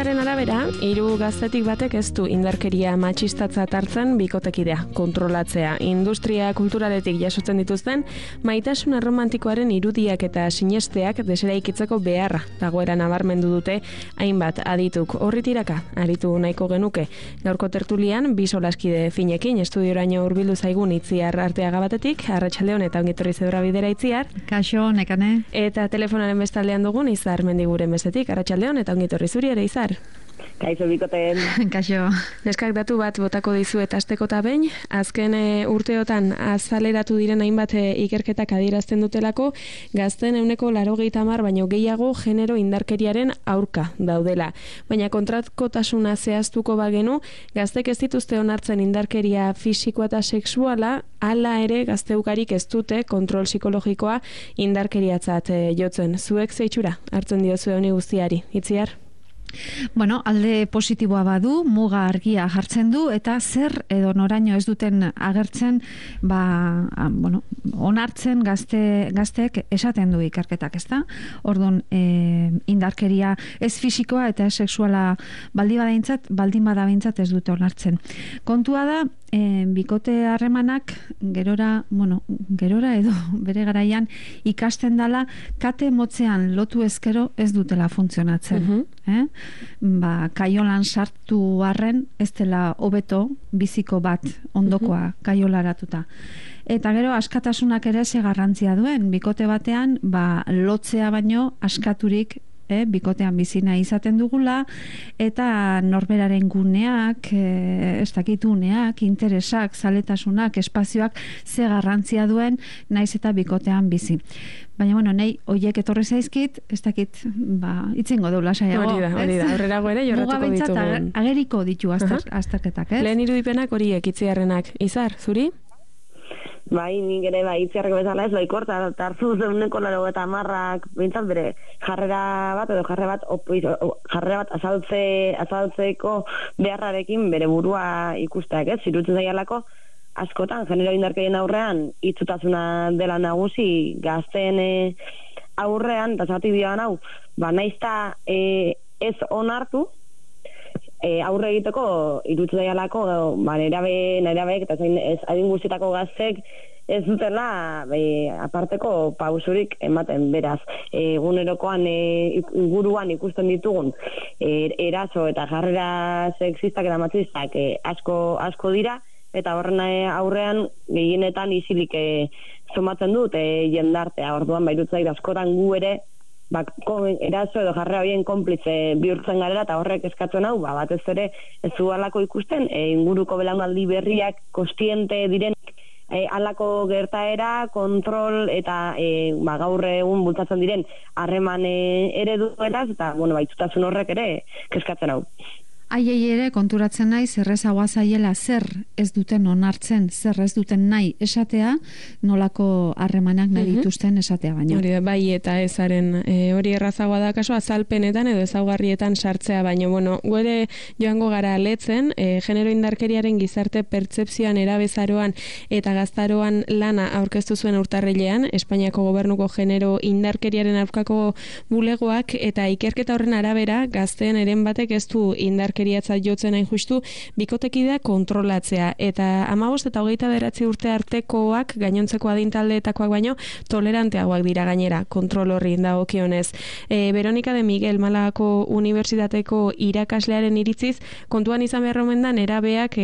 Ikerketaren arabera, 3 gaztetik batek ez du indarkeria matxistatzat hartzen bikotekidea, kontrolatzea. Industria kulturaletik jasotzen dituzten, maitasun erromantikoaren irudiak eta sinesteak deseraikitzeko beharra dagoera nabarmendu dute hainbat adituk. Horri tiraka, aritu nahiko genuke. Gaurko tertulian, 2 solaskide finekin, estudioraino hurbildu zaigun Itziar Arteaga batetik, arratsaldeon eta ongitorri zebra bidera Itziar. Kaixo, nekane. Eta telefonaren bestaldean dugun Izar Mendiguren bestetik, arratsaldeon eta ongitorri zuri ere Izar. Kaixo bikoten. Kaixo. Neskak datu bat botako dizuet asteko eta behin, azken urteotan azaleratu diren hainbat ikerketak adierazten dutelako, gazten 80% baino gehiago genero indarkeriaren aurka daudela. Baina kontrakotasuna zehaztuko bagenu, gaztek ez dituzte onartzen indarkeria fisikoa eta sexuala, hala ere gazteukarik ez dute kontrol psikologikoa indarkeriatzat jotzen. Zuek zeitxura hartzen diozue honi guztiari, Itziar? Bueno, alde positiboa badu, muga argia jartzen du, eta zer edo noraino ez duten agertzen, onartzen gazteek esaten du ikerketak, ezta? Orduan, indarkeria ez fisikoa eta ez sexuala baldin bada behintzat ez dute onartzen. Kontua da, bikote harremanak gerora edo bere garaian ikasten dala kate motzean lotu ezkero ez dutela funtzionatzen. Kaiolan sartu arren ez dela hobeto biziko bat ondokoa kaiolaratuta. Eta gero askatasunak ere ze garrantzia duen, bikote batean lotzea baino askaturik bikotean bizina izaten dugula, eta norberaren guneak, uneak, interesak, zaletasunak, espazioak ze garrantzia duen naiz eta bikotean bizi. Baina, nahi hoiek etorri zaizkit, ez dakit, itzingo deula saiago. Hori da, aurrerago ere jorratuko ditugun. Ageriko ditu azterketak, ez? Lehen irudipenak horiek Itziarrenak. Izar, zuri? Bai, nik ere Itziarreko bezala ez baikor, eta hartzu zeuneko 90 bintzat bere jarrera bat azaltzeko beharrarekin bere burua ikusteak, ez? Zirutzen zaialako, askotan, genero indarkerien aurrean, itzutasuna dela nagusi gazteen aurrean, eta zati dioan hau, naizta ez onartu, aurre egiteko irutzen zaialako, nerabeek eta ez adin guztietako gaztek ez dutela aparteko pausurik ematen, beraz. Egunerokoan inguruan ikusten ditugun eraso eta jarrera sexistak eta matxistak asko dira, eta horren aurrean gehienetan isilik somatzen dut jendartea. Orduan irutzen askotan gu ere eraso edo jarrera horien konplitze bihurtzen garela, eta horrek eskatzen hau, batez ere ez du alako ikusten, inguruko belaunaldi berriak kostiente diren alako gertaera, kontrol eta gaur egun bultzatzen diren harreman ereduetaz, eta itxutasun horrek ere eskatzen hau. Haiei ere konturatzen nahi zerrezagoa zaiela zer ez duten onartzen, zer ez duten nahi esatea, nolako harremanak nahi dituzten esatea baina. Hori da, bai eta ezaren hori errazagoa da kaso azalpenetan edo ezaugarrietan sartzea, baina gu joango gara letzen, genero indarkeriaren gizarte pertzepzioan erabezaroan eta gaztaroan lana aurkeztu zuen urtarrilean, Espainiako gobernuko genero indarkeriaren aurkako bulegoak, eta ikerketa horren arabera gazteen eren batek ez du indarkeriatzat jotzen hain justu bikotekidea kontrolatzea, eta 15 eta 29 urte artekoak gainontzeko adintaldeetakoak baino toleranteagoak dira gainera kontrol horri dagokionez. Veronica de Miguel Malagako Unibertsitateko irakaslearen iritziz kontuan izan behar omen da nerabeak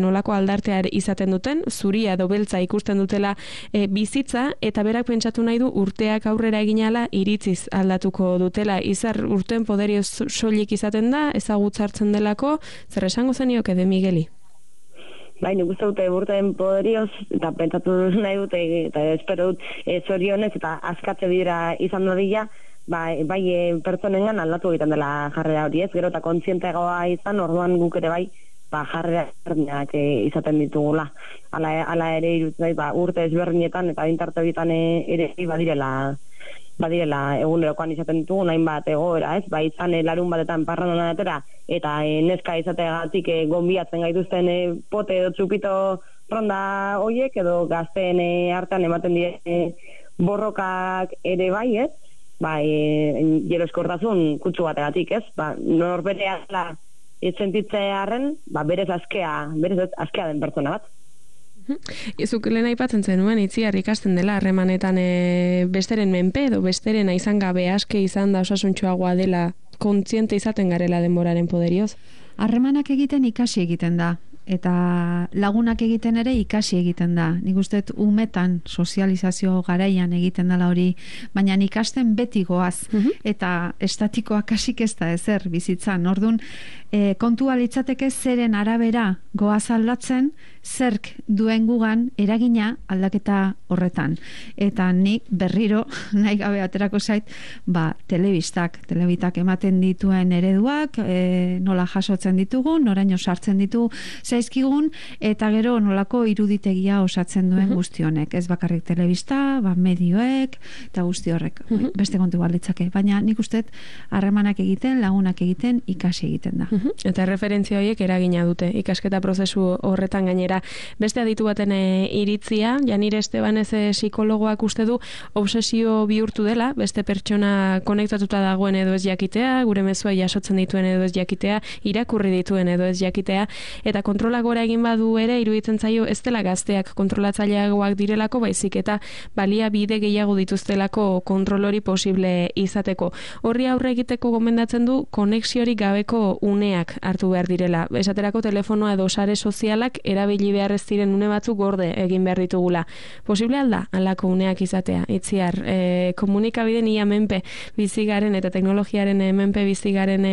nolako aldartear izaten duten, zuria edo beltza ikusten dutela bizitza, eta berak pentsatu nahi du urteak aurrera eginala iritziz aldatuko dutela. Izar urten poderioz soilik izaten da, ezagutzartzen delako, zer esango zenioke de Migueli? Nik uste dute urteen poderioz, eta pentsatu nahi dute, eta espero dut zorionez, eta askatze dira izan dadila, pertsonengan aldatu egiten dela jarrera hori ez, gero eta kontzienteagoa izan, orduan guk ere jarrera ezberdinak izaten ditugula. Hala ere irutzen urte ezberdinetan, eta bintarte horietan ere badirela egunerokoan izaten ditugu hainbat egoera, ez? Izan larun batetan parrandan atera, eta neska izateagatik gonbiatzen gaituzten pote edo txupito ronda hoiek, edo gazteen artean ematen dire borrokak ere ez? jeroskortasun kutsu bategatik, ez? Norberea sentitzearen, berez askea den pertsona bat. Zuk lehen aipatzen zenuen Itziar ikasten dela harremanetan besteren menpe edo besteren izan gabe aske izan da osasuntsuagoa dela kontziente izaten garela denboraren poderioz. Harremanak egiten ikasi egiten da. Eta lagunak egiten ere ikasi egiten da. Nik uste umetan sozializazio garaian egiten dela hori, baina ikasten beti goaz. Eta estatikoa kasik ez da ezer bizitzan. Orduan, kontua litzateke zeren arabera goaz aldatzen, zerk duen gugan eragina aldaketa horretan. Eta nik berriro, nahi gabe aterako zait, telebitak ematen dituen ereduak, nola jasotzen ditugun, noraino sartzen ditu zaizkigun, eta gero nolako iruditegia osatzen duen guzti honek. Ez bakarrik telebista, medioek, eta guzti horrek. Beste kontu balitzake. Baina nik uste harremanak egiten, lagunak egiten, ikasi egiten da. Eta referentzia horiek eragina dute, ikasketa prozesu horretan gainera. Beste aditu baten iritzia, Janire Estebanez psikologoak uste du obsesio bihurtu dela, beste pertsona konektatuta dagoen edo ez jakitea, gure mezua jasotzen dituen edo ez jakitea, irakurri dituen edo ez jakitea, eta kontrola gora egin badu ere, iruditzen zaio ez dela gazteak kontrolatzaileagoak direlako, baizik eta balia bide gehiago dituztelako kontrol hori posible izateko. Horri aurre egiteko gomendatzen du konexiorik gabeko uneak hartu behar direla. Esaterako telefonoa edo sare sozialak erabili behar ez diren une batzuk gorde egin behar ditugula. Posible alda, halako uneak izatea. Itziar, komunikabideen ia menpe bizigaren eta teknologiaren menpe bizigaren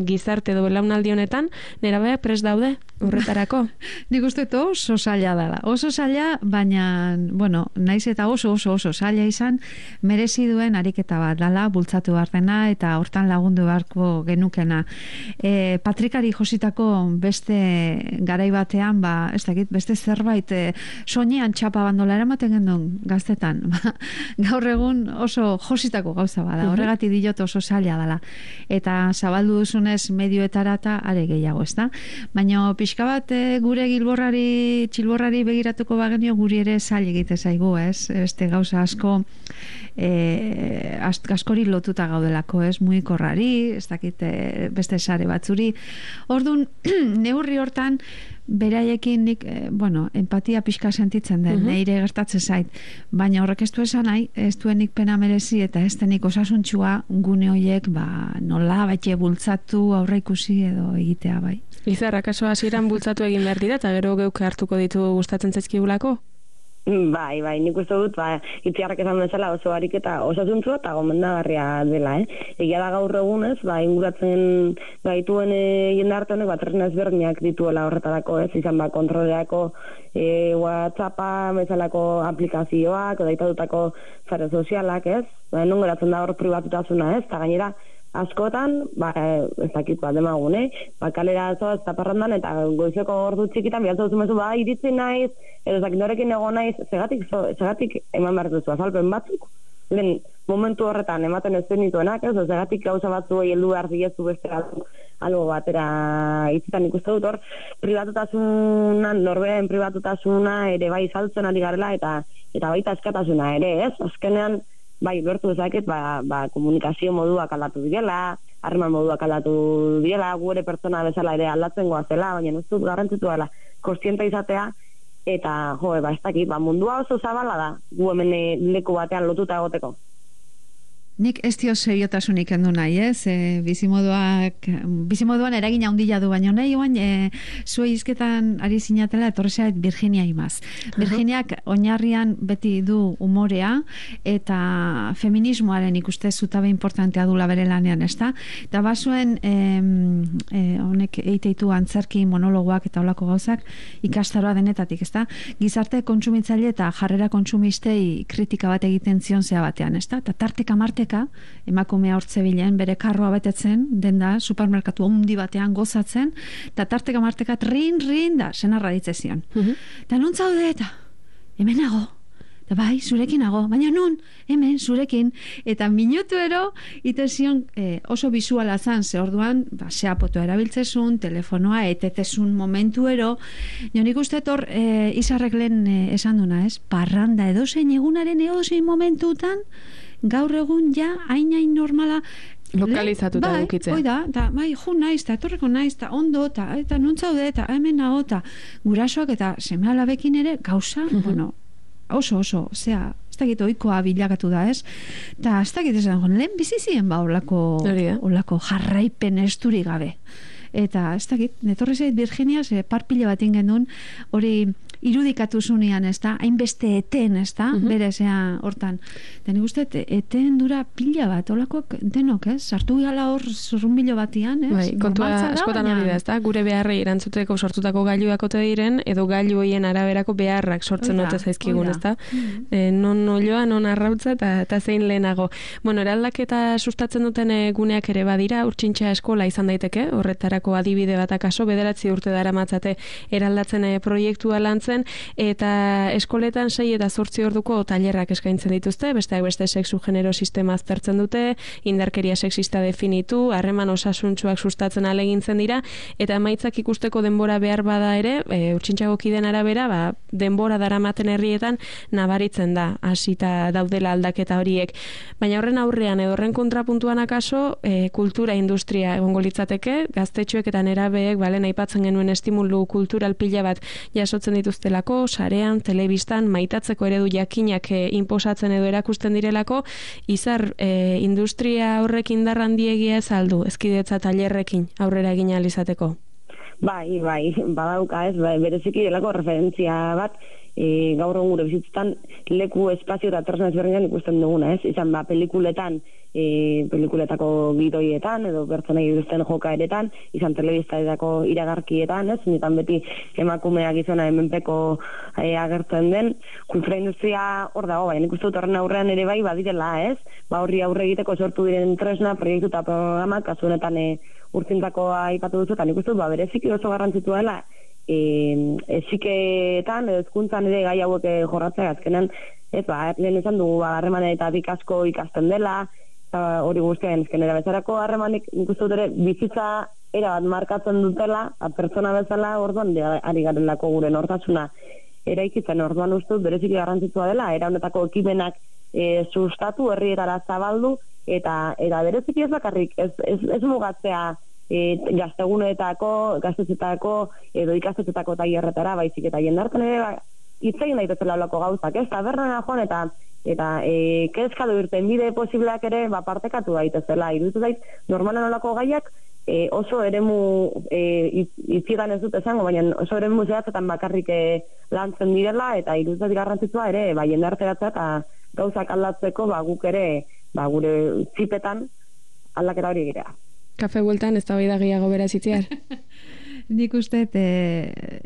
gizarte edo belaunaldi honetan, nerabeak prest daude horretarako? Nik uste oso zaila dela. Oso zaila, baina, naiz eta oso zaila izan, merezi duen ariketa bat dela, bultzatu behar dena, eta hortan lagundu beharko genukena. Patrikari jositako beste garai batean, ez dakit, beste zerbait soinean txapa bandola eramaten gendun gaztetan. Gaur egun oso jositako gauza bada, horregatik diot oso zaila dela. Eta zabaldu duzunez medioetara eta are gehiago, ez da? Baina pixka bat gure txilborrari begiratuko bagenio guri ere zail egite zaigu, ez? Beste gauza askori lotuta gaudelako, ez? Mugikorrari, ez dakit beste sare batzuri. Orduan, neurri hortan beraiekin nik, empatia pixka sentitzen den, neire gertatzen zait, baina horrek ez du esan nahi, ez duenik pena merezi eta ez denik osasuntxua gune horiek nola baite bultzatu aurre ikusi edo egitea bai. Izarra, kaso hasieran bultzatu egin behar dira eta gero geuk hartuko ditu gustatzen zaizkigulako? Bai, nik uste dut, Itziarrak esan bezala oso ariketa osasuntsua eta gomendagarria dela, Egia da gaur egunez, inguratzen gaituen jendarte honek tresna ezberdinak dituela horretarako, izan kontrolerako WhatsAppa, bezalako aplikazioak, deitatutako sare sozialak, non geratzen da hor pribatutasuna, eta gainera askotan, ez dakit demagune, kalera zoaz eta parrandan, eta goizeko ordu txikitan, bialtza duzumezu, iritzi naiz, edo zakit norekin ego naiz, segatik eman behar duzu azalpen batzuk, lehen momentu horretan ematen ez zenituenak, segatik gauza batzu heldu behar zilezu beste algo batera itzitan ikusten dut hor, pribatutasunan, norberen pribatutasuna ere bai saltzen ari garela, eta baita eskatasuna ere, azkenean, bertu ezaket, komunikazio moduak aldatu direla, harreman moduak aldatu direla, gure pertsona bezala ere aldatzen goazela, baina ez dut garrantzitu dela, kontziente izatea, eta, ez dakit, mundua oso zabala da, gu hemen leku batean lotuta egoteko. Nik ez dio seriotasunik endu nahi, bizimoduan eragina handia du baino nahi, zue izketan ari zinatela etorri zait Virginia Imaz. Virginiak oinarrian beti du umorea eta feminismoaren ikuste zutabe importantea dula bere lanean, ezta? Eta bazuen honek eiteitu antzerki monologoak eta olako gauzak ikastaroa denetatik, ezta? Gizarte kontsumitzaile eta jarrera kontsumistei kritika bat egiten zion zea batean, ezta? Eta tarteka emakumea hortze bilen, bere karroa betetzen, denda, supermerkatu handi batean gozatzen, eta tarteka marteka rin da, senarra ditzezion. Eta nun zaude eta, hemen nago, eta bai, zurekin nago, baina nun, hemen, zurekin, eta minutuero, itezion oso bizuala zan, ze orduan, seapotoa erabiltzezun, telefonoa, etetezun momentuero, nik uste hor, izarrek lehen esan duna, parranda edozein egunaren edozein momentutan, gaur egun ja hain normala lokalizatuta edukitzea. Bai, da, bai, naiz, eta etorreko naiz, eta ondo, eta non zaude, eta hemen nago, eta gurasoak eta seme-alabekin ere gauza, bueno, oso, zea, ez dakit oikoa bilakatu da, ez? Eta ez dakit esan, lehen bizizien olako jarraipen esturi gabe. Eta ez dakit, netorri zait Virginia, parpile bat ingen hori irudikatu zunean, ez da, hainbeste eten, ez da, bere zea hortan. Da nik uste, eten dura pila bat, olakoak denok, ez? Sartu gala hor zurrunbilo batian, ez? Bai, kontua askotan hori da, ez da, gure beharrei erantzuteko sortutako gailuak ote diren, edo gailu hoien araberako beharrak sortzen ote zaizkigun, ez da? Non oloa, non arrautza, eta zein lehenago. Bueno, eraldaketa sustatzen duten guneak ere badira, Urtsintxa eskola izan daiteke, horretarako adibide bat akaso, 9 urte daramatzate eraldatzen proiektua lantzen, eta eskoletan 6 eta 8 orduko tailerrak eskaintzen dituzte, besteak beste sexu genero sistema aztertzen dute, indarkeria sexista definitu, harreman osasuntsuak sustatzen alegintzen dira, eta emaitzak ikusteko denbora behar bada ere, Urtsintxako kideen arabera, denbora daramaten herrietan nabaritzen da, hasita daudela aldaketa horiek. Baina horren aurrean edo horren kontrapuntuan akaso, kultura industria egongo litzateke, gaztetxoek eta nerabeek, aipatzen genuen estimulu kultural pila bat jasotzen dituztelako, sarean, telebistan, maitatzeko eredu jakinak inposatzen edo erakusten direlako, izar industria horrek indar handiegia ez aldu, ezkidetza tailerrekin aurrera egin ahal izateko. Bai, badauka ez, bereziki delako referentzia bat, gaur egun gure bizitzetan leku, espazio eta tresna ezberdinak ikusten duguna, ez? Izan pelikuletan, pelikuletako gidoietan edo pertsonei dituzten jokaeretan, izan telebistadetako iragarkietan, ez? Nitan beti emakumea gizona hemenpeko agertzen den, kultura industria hor dago, baina nik uste dut horren aurrean ere bai badirela, ez? Horri aurre egiteko sortu diren tresna, proiektu eta programak, kasu honetan Urtzintakoa aipatu duzu, eta nik uste dut bereziki oso garrantzitua dela eziketan edo hezkuntzan ere gai hauek jorratzea azkenan, lehen esan dugu harremanetatik asko ikasten dela, hori guztian ezkenera bezarako harremanik nik uste dut ere bizitza erabat markatzen dutela, pertsona bezala orduan ari garelako gure nortasuna eraikitzen, orduan uste dut bereziki garrantzitsua dela, era honetako ekimenak sustatu, herrietara zabaldu, eta bereziki ez bakarrik, ez mugatzea gaztetxetako edo ikastetxetako tailerretara, baizik eta jendarten ere hitzein daitezela olako gauzak, ez? Tabernara joan eta kezkadu irten bide posibleak ere partekatu daitezela. Iruditzen zait, normalan olako gaiak oso eremu itzigan ez dut esango, baina oso eremu zehatzetan bakarrik lantzen direla, eta iruditzen garrantzitsua ere jendarteratzea eta gauzak aldatzeko guk ere gure txipetan aldaketa hori egitea. Kafe bueltan ez da bai da gehiago beraz itziar. Nik uste,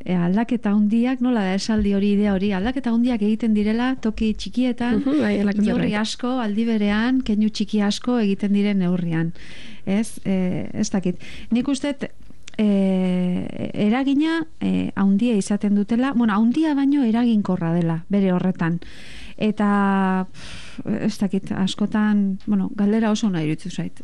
aldaketa hundiak, nola da esaldi hori, idea hori, aldaketa hundiak egiten direla toki txikietan, neurri asko, aldi berean, keinu txiki asko egiten diren neurrian. Ez dakit. Nik uste, eragina haundia izaten dutela, haundia baino eraginkorra dela, bere horretan. Eta ez dakit, askotan, galdera oso nahi iruditzen zait.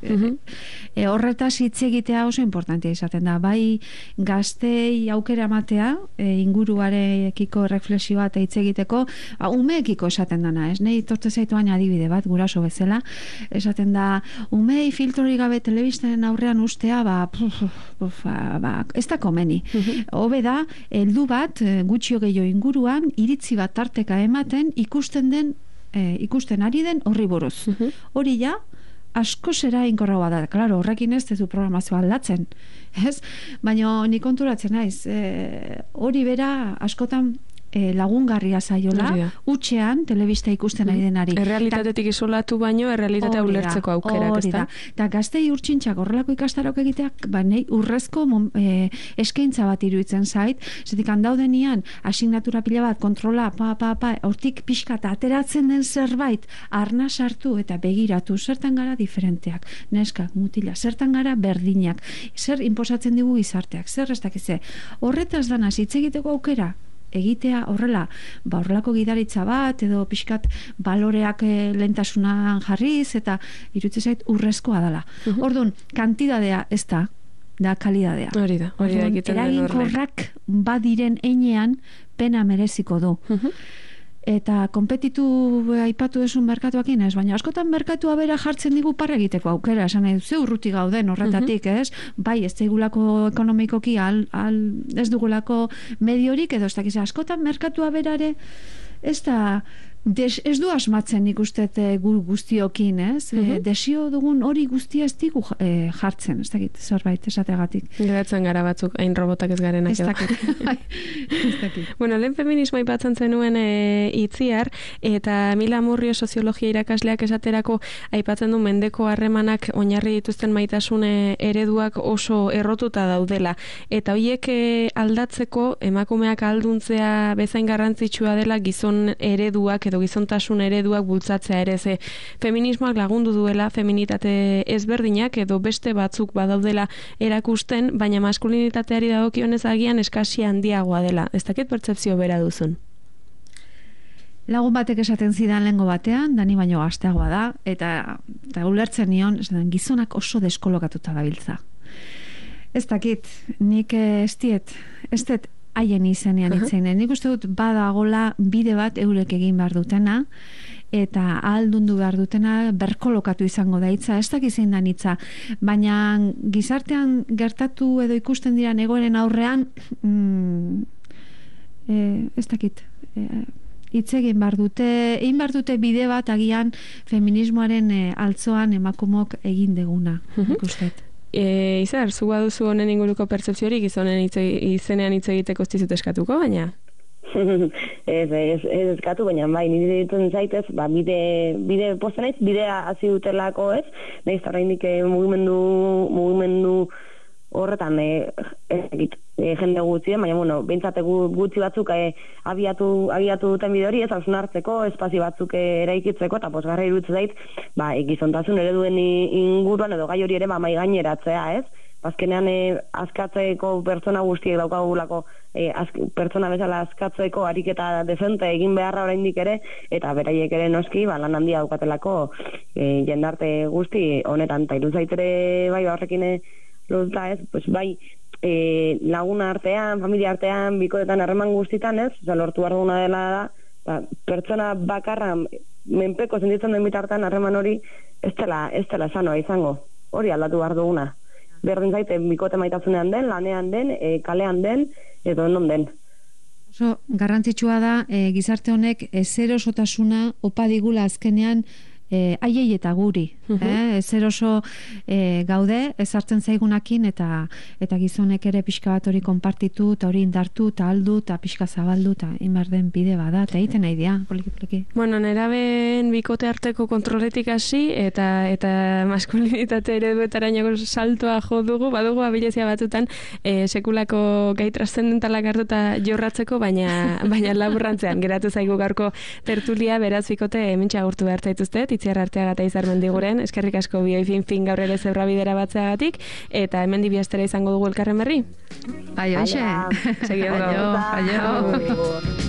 Horretaz hitz egitea oso importantea izaten da. Bai gaztei aukera ematea, inguruarekiko reflexioa eta hitz egiteko, umeekiko esaten dana, ez? Nei tortze zaituan adibide bat, guraso bezala, esaten da, umei filtrori gabe telebistaren aurrean ustea, ez da komeni. Hobe da, heldu bat, gutxio gehiago inguruan, iritzi bat tarteka ematen, ikusten ari den horri buruz. Hori ja, asko zera inkorragoa da. Claro, horrekin ez du programazioa aldatzen. Baina nik konturatzen naiz. Hori bera askotan lagungarria zaiola, utxean telebista ikusten ari denari. Errealitatetik isolatu baino, errealitatea ulertzeko aukerak, ez da? Eta gaztei Urtsintxak horrelako ikastarok egiteak, nahi urrezko eskaintza bat iruditzen zait, zetik handaudenian, asignatura pila bat, kontrola, hortik pixka eta ateratzen den zerbait, arna sartu eta begiratu, zertan gara diferenteak, neskak, mutila, zertan gara berdinak, zer inposatzen digu gizarteak, zer ez dakize, horretaz dana hitz egiteko aukera, egitea horrela, horrelako gidaritza bat edo pixkat baloreak lehentasunan jarriz eta iruditzen zait urrezkoa dela. Orduan, kantidadea ez da kalidadea. Hori da egiten den horrek. Eraginkorrak badiren einean pena mereziko du. Eta konpetitu aipatu desun merkatuakin ez, baina askotan merkatua bera jartzen digu parra egiteko aukera, esan nahi, ze urruti gauden horretatik, ez? Bai, ez daigulako ekonomikoki ez dugulako mediorik, edo ez dakiz, askotan merkatua berare ez da ez du asmatzen nik uste guztiokin, ez? Desio dugun hori guztia ez digu jartzen, ez dakit, zerbait esategatik. Geratzen gara batzuk, hain robotak ez garenak. Ez dakit. Bueno, lehen feminismo aipatzen zenuen Itziar, eta Mila Murrio soziologia irakasleak esaterako aipatzen du mendeko harremanak oinarri dituzten maitasun ereduak oso errotuta daudela. Eta horiek aldatzeko emakumeak ahalduntzea bezain garrantzitsua dela gizon ereduak edo gizontasun ereduak bultzatzea ere, ze feminismoak lagundu duela feminitate ezberdinak edo beste batzuk badaudela erakusten, baina maskulinitateari dagokionez agian eskasi handiagoa dela. Ez dakit pertzepzio bera duzun? Lagun batek esaten zidan lehengo batean, dani baino gazteagoa da, eta ulertzen nion, gizonak oso deskolokatuta gabiltza. Ez dakit, nik ez dut haien izenean itzeinen. Nik uste dut badagola bide bat eurek egin behar dutena, eta ahaldundu behar dutena berkolokatu izango da hitza, ez dakit zein da hitza, baina gizartean gertatu edo ikusten diran egoeren aurrean ez dakit hitz egin behar dute bide bat agian feminismoaren altzoan emakumok egin deguna, nik uste dut. Izar, zu baduzu honen inguruko pertzepziorik izonen izenean hitz egiteko ez dizut eskatuko, baina? Ez eskatu, baina bai, nire dituen zaitez, bide posta naiz, bidea hasi dutelako ez, nahiz oraindik mugimendu horretan jende gutxi, baina bueno, behintzat gutxi batzuk abiatu duten bide hori ez hausnartzeko, espazio batzuk eraikitzeko, eta posgarra iruditzen zait, gizontasun ereduen inguruan edo gai hori ere mai gaineratzea, ez? Azkenean askatzeko pertsona guztiek daukagulako pertsona bezala askatzeko ariketa dezente egin beharra oraindik ere, eta beraiek ere noski lan handia daukatelako jendarte guzti honetan, eta iruditzen zait ere bai horrekin lotuta ez, pues bai, laguna artean, familia artean, bikoetan harreman guztitan ez, lortu behar duguna dela da, pertsona bakarra menpeko sentitzen den bitartean harreman hori ez dela sanoa izango, hori aldatu behar duguna. Berdin zaite, bikote maitasunean den, lanean den, kalean den, edo non den. Oso garrantzitsua da, gizarte honek ezerosotasuna opa digula azkenean haiei eta guri. Ezer oso gaude, ezartzen zaigunakin, eta gizonek ere pixka bat hori konpartitu, eta hori indartu, eta aldu, eta pixka zabaldu, eta inbar den bide bada, eta egiten nahi dia, poliki. Bueno, neraben bikote arteko kontroletik hasi, eta maskulinitate ereduetarainako saltoa jo dugu, badugu abilezia batzutan sekulako gai trascendentalak hartuta jorratzeko, baina laburrantzean geratu zaigu gaurko tertulia, beraz bikote hementxe agurtu behar zaituztet, Itziar Arteaga eta Izar Mendiguren, eskerrik asko bioi fin gaur ere zebra bidera batzeagatik, eta hemen dibiastera izango dugu elkarren berri. Aio, eixe. Segi ondo. Aio.